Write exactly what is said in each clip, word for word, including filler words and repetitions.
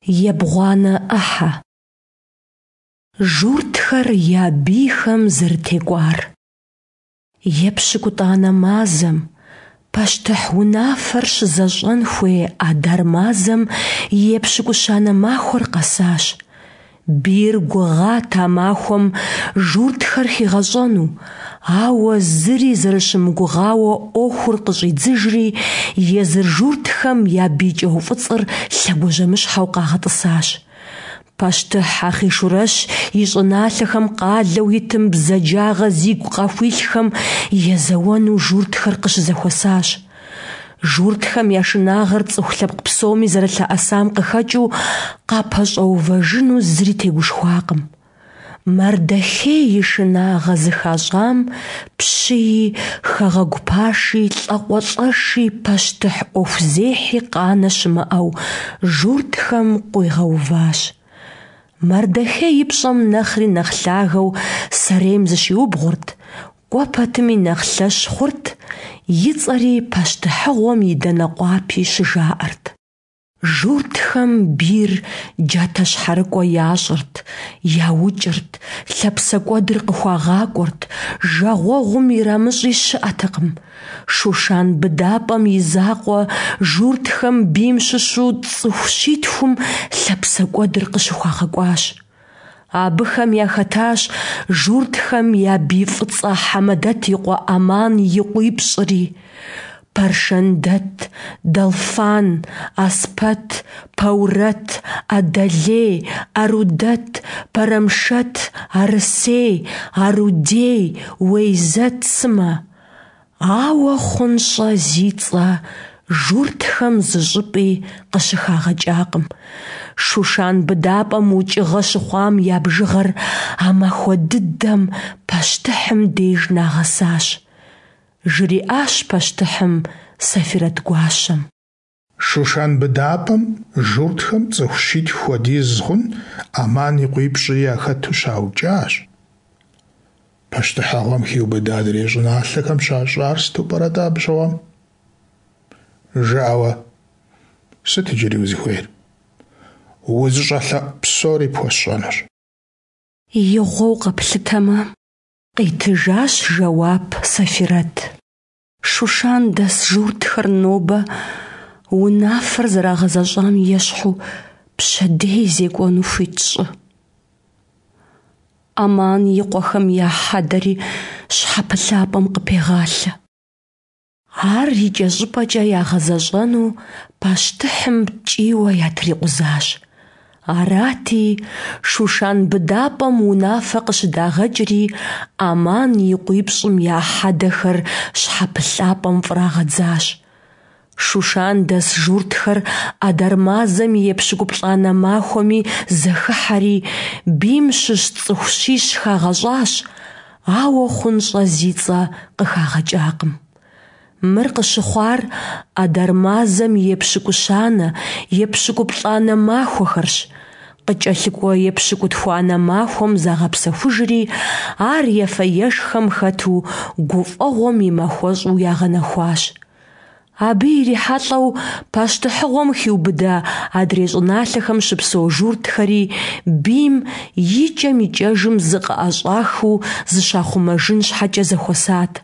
Ебгъуанэ ӏыхьэ. Журтхэр я бийхэм зэрытекӏуар. Епщыкӏутӏанэ мазэм, пащтыхь унафэр щызэщӏэн хуей Адар мазэм и епщыкӏущанэ махуэр къэсащ. Бийр гугъат а махуэм журтхэр хигъэщӏэну, ауэ зыри зэрыщымыгугъауэ ӏуэхур къыщӏидзыжри, езы журтхэм я бий кӏэуфӏыцӏыр лъэгуажьэмыщхьэу къагъэтӏысащ. Пащтыхь Ахъийшурэщ и щӏыналъэхэм къалэу итым бзаджагъэ зигу къахуилъхэм езэуэну журтхэр къыщызэхуэсащ. Журтхэм я шынагъэр цӏыху лъэпкъ псоми зэралъэӏэсам къыхэкӏыу, къапэщӏэувэжыну зыри тегушхуакъым. Мардэхей и шынагъэ зыхащӏам пщыи, хэгъэгу паши, лӏакъуэлӏэши, пащтыхь ӏуэхузехьи къанэ щымыӏэу журтхэм къуигъэуващ. Мардэхей и пщӏэм нэхъри нэхъ лъагэу сэрейм зыщиубгъурт, кӏуэ пэтми нэхъ лъэщ хъурт, и цӏэри пащтыхьыгъуэм и дэнэ къуапи щыжаӏэрт. Журтхэм бийр джатэщхьэрыкӏуэ ящӏырт, яукӏырт, лъапсэкӏуэдыр къыхуагъакӏуэрт, жагъуэгъум ирамыщӏи щыӏэтэкъым. Шушан быдапӏэм и закъуэ журтхэм бийм щыщу цӏыху щитхум лъапсэкӏуэдыр къыщыхуагъэкӏуащ. Абыхэм яхэтащ журтхэм я бий фӏыцӏэ Хьэмэдэт и къуэ Аман и къуипщӏри: Пэршэндэт, Дэлфан, Аспэт, Пэурэт, Адэлей, Арудэт, Пэрэмшэт, Арысей, Арудей, Уейзэт сымэ. Ауэ Хъунщӏэ зи цӏэ журтхэм зыщӏыпӏи къыщыхагъэкӏакъым. Шушан быдапӏэм укӏыгъэ щыхъуам я бжыгъэр а махуэ дыдэм пащтыхьым деж нагъэсащ. Жриӏащ пащтыхьым Сэфирэт гуащэм. Шушан быдапӏэм журтхэм цӏыху щитху хуэдиз хъун Аман и къуипщӏри яхэту щаукӏащ. Пащтыхьыгъуэм хиубыдэ адрей щӏыналъэхэм щащӏар сыту пӏэрэ-тӏэ абы щыгъуэм? Жыӏэ уэ, сыт иджыри узыхуейр? Узыщӏэлъэӏу псори пхуэсщӏэнущ. Игъуэу къэплъытэмэ, къитыжащ жэуап Сэфирэт. Шушан дэс журтхэр нобэ унафэр зэрагъэзэщӏам ещхьу пщэдей зекӏуэну хуит щӏы. Аман и къуэхэм я хьэдэри щхьэпылъапӏэм къыпегъалъэ. Ар икӏэщӏыпӏэкӏэ ягъэзэщӏэну пащтыхьым ткӏийуэ ятрикъузащ. Арати, Шушан быдапӏэм унафэ къыщыдагъэкӏри, Аман и къуипщӏым я хьэдэхэр щхьэпылъапӏэм фӏрагъэдзащ. Шушан дэс журтхэр Адар мазэм и епщыкӏуплӏанэ махуэми зэхыхьэри, бийм щыщ цӏыху щищ хагъэщӏащ, ауэ Хъунщӏэ зи цӏэ къыхагъэкӏакъым. Мыр къыщыхъуар Адар мазэм и епщыкӏущанэ, епщыкӏуплӏанэ махуэхэрщ. Къыкӏэлъыкӏуэ епщыкӏутхуанэ махуэм загъэпсэхужри, ар ефэ-ешхэм хэту гуфӏэгъуэм и махуэщӏу ягъэнэхуащ. Абы ирихьэлӏэу пащтыхьыгъуэм хиубыдэ адрей щӏыналъэхэм щыпсэу журтхэри бийм икӏэм-икӏэжым зыкъыӏэщӏахыу зыщахъумэжын щхьэкӏэ зэхуэсат.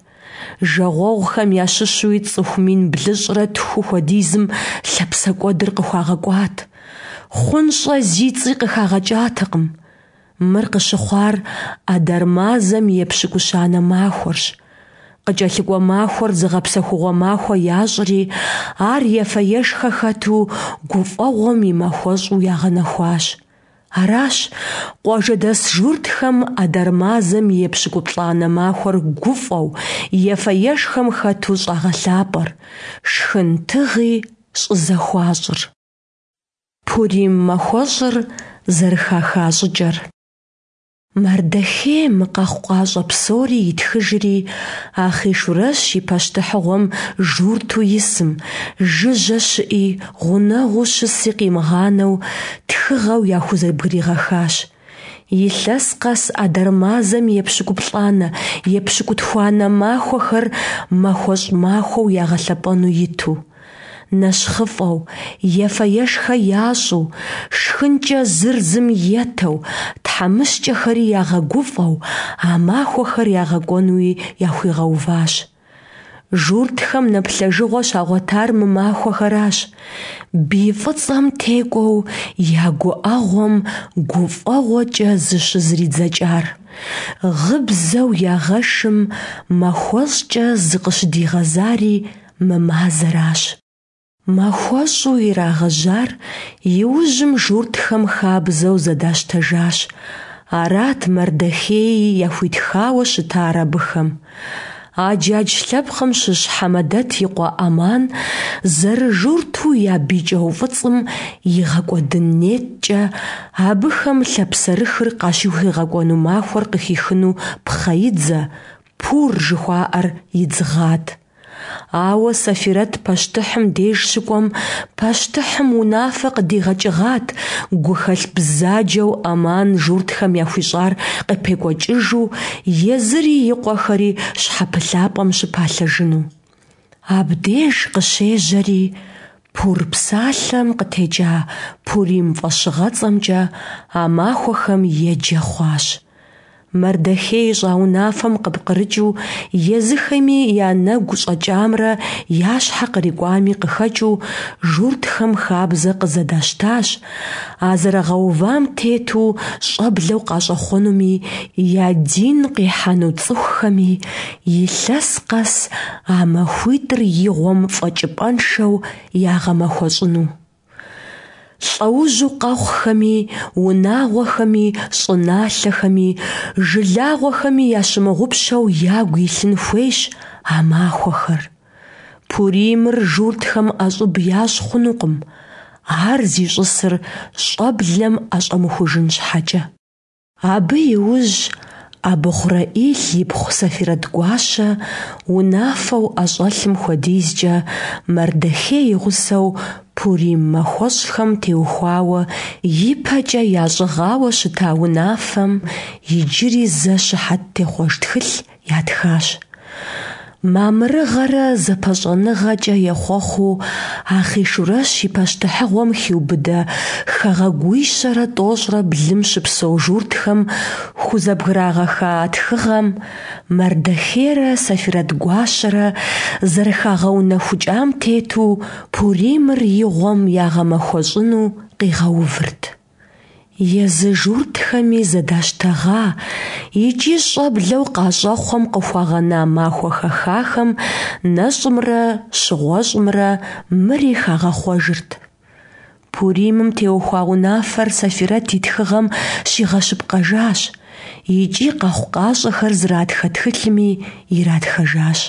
Жагъуэгъухэм ящыщуи цӏыху мин блыщӏрэ тху хуэдизым лъапсэкӏуэдыр къыхуагъэкӏуат. Хъунщӏэ зи цӏи къыхагъэкӏатэкъым. Мыр къыщыхъуар Адар мазэм и епщыкӏущанэ махуэрщ. Къыкӏэлъыкӏуэ махуэр зыгъэпсэхугъуэ махуэ ящӏри, ар ефэ-ешхэ хэту гуфӏэгъуэм и махуэщӏу ягъэнэхуащ. Аращ къуажэдэс журтхэм Адар мазэм и епщыкӏуплӏанэ махуэр гуфӏэу, ефэ-ешхэм хэту щӏагъэлъапӏэр, шхын тыгъи щӏызэхуащӏыр. Пурим махуэщӏыр зэрыхаха щӏыкӏэр. Мардэхей мы къэхъукъащӏэ псори итхыжри, Ахъийшурэщ и пащтыхьыгъуэм журту исым, жыжьэ щыӏи, гъунэгъуу щыси къимыгъанэу, тхыгъэу яхузэбгригъэхащ. Илъэс къэс Адар мазэм и епщыкӏуплӏанэ, епщыкӏутхуанэ махуэхэр махуэщӏ махуэу ягъэлъэпӏэну иту. нэщхъыфӏэу, ефэ-ешхэ ящӏу, шхынкӏэ зыр зым етэу, тхьэмыщкӏэхэри ягъэгуфӏэу а махуэхэр ягъэкӏуэнуи яхуигъэуващ. Журтхэм нэплъэжыгъуэ щагъуэтар мы махуэхэращ, бий фӏыцӏэм текӏуэу я гуӏэгъуэм гуфӏэгъуэкӏэ зыщызридзэкӏар, гъыбзэу ягъэшым махуэщӏкӏэ зыкъыщыдигъэзари мы мазэращ. Махуэщӏу ирагъэжьар иужьым журтхэм хабзэу зэдащтэжащ, арат Мардэхеи яхуитхауэ щытар абыхэм. Аджадж лъэпкъым щыщ Хьэмэдэт и къуэ Аман зэрыжурту я бий кӏэуфӏыцӏым игъэкӏуэдын неткӏэ абыхэм лъапсэрыхыр къащыхуигъэкӏуэну махуэр къыхихыну пхъэидзэ, пур жыхуаӏэр, идзыгъат. Ауэ Сэфирэт пащтыхьым деж щыкӏуэм, пащтыхьым унафэ къыдигъэкӏыгъат гухэлъ бзаджэу Аман журтхэм яхуищӏар къыпекӏуэкӏыжу езыри и къуэхэри щхьэпылъапӏэм щыпалъэжыну. Абдеж къыщежьэри, пур псалъэм къытекӏа Пурим фӏэщыгъэцӏэмкӏэ а махуэхэм еджэ хъуащ. Мардэхей ищӏа унафэм къыпкърыкӏыу, езыхэми я нэгу щӏэкӏамрэ я щхьэ кърикӏуами къыхэкӏыу, журтхэм хабзэ къызэдащтащ, а зэрагъэувам тету щӏэблэу къащӏэхъуэнуми, я дин къихьэну цӏыхухэми илъэс къэс а махуитӏыр игъуэм фӏэкӏыпӏэншэу ягъэмэхуэщӏыну. Лӏэужьу къэхъухэми, унагъуэхэми, щӏыналъэхэми, жылагъуэхэми ящымыгъупщэу ягу илъын хуейщ а махуэхэр. Пуримыр журтхэм ӏэщӏыб ящӏ хъунукъым, ар зищӏысыр щӏэблэм ӏэщӏэмыхужын щхьэкӏэ. Абы иужь Абыхъурэӏил ипхъу Сэфирэт-гуащэ унафэу ӏэщӏэлъым хуэдизкӏэ Мардэхей и гъусэу пурим махуэщӏхэм теухуауэ ипэкӏэ ящӏыгъауэ щыта унафэм иджыри зэ щыхьэт техъуэж тхылъ ятхащ. Мамырыгъэрэ зэпэщӏэныгъэкӏэ ехъуэхъуу Ахъийшурэщ и пащтыхьыгъуэм хиубыдэ хэгъэгуищэрэ тӏощӏрэ блым щыпсэу журтхэм хузэбграгъэха а тхыгъэм, Мардэхейрэ Сэфирэт-гуащэрэ зэрыхагъэунэхукӏам тету, Пуримыр игъуэм ягъэмэхуэщӏыну къигъэувырт. Езы журтхэми зэдащтэгъа икӏи щӏэблэу къащӏэхъуэм къыхуагъэна махуэ хэхахэм нэщӏымрэ щыгъуэщӏымрэ мыри хагъэхъуэжырт. Пуримым теухуа унафэр Сэфирэт и тхыгъэм щигъэщыпкъэжащ икӏи къэхъукъащӏэхэр зратхэ тхылъми иратхэжащ.